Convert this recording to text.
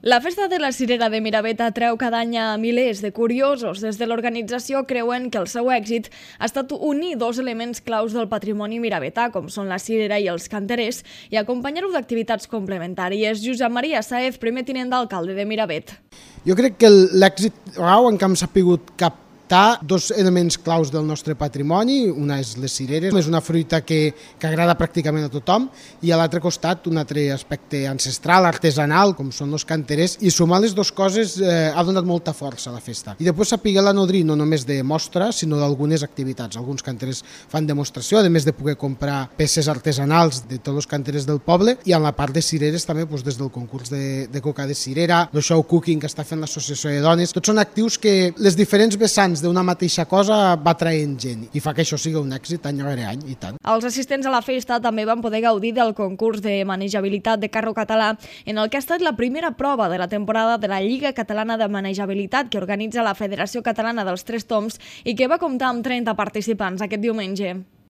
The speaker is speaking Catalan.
La Festa de la Cirera de Miravet atreu cada any a milers de curiosos. Des de l'organització creuen que el seu èxit ha estat unir dos elements claus del patrimoni miravetà, com són la cirera i els canterers, i acompanyar-ho d'activitats complementàries. Josep Maria Saez, primer tinent d'alcalde de Miravet. Jo crec que l'èxit rau en què hem sabut captar dos elements claus del nostre patrimoni. Una és les cireres, és una fruita que agrada pràcticament a tothom, i a l'altre costat un altre aspecte ancestral, artesanal, com són els canterers, i sumar les dues coses ha donat molta força a la festa. I després saber-la nodrir no només de mostra, sinó d'algunes activitats. Alguns canterers fan demostració, a més de poder comprar peces artesanals de tots els canterers del poble, i en la part de cireres també des del concurs de coca de cirera, el show cooking que està fent l'associació de dones. Tots són actius que les diferents vessants d'una mateixa cosa va traient gent i fa que això sigui un èxit any rere any, i tant. Els assistents a la festa també van poder gaudir del concurs de manejabilitat de carro català, en el que ha estat la primera prova de la temporada de la Lliga Catalana de Manejabilitat que organitza la Federació Catalana dels Tres Tombs i que va comptar amb 30 participants aquest diumenge.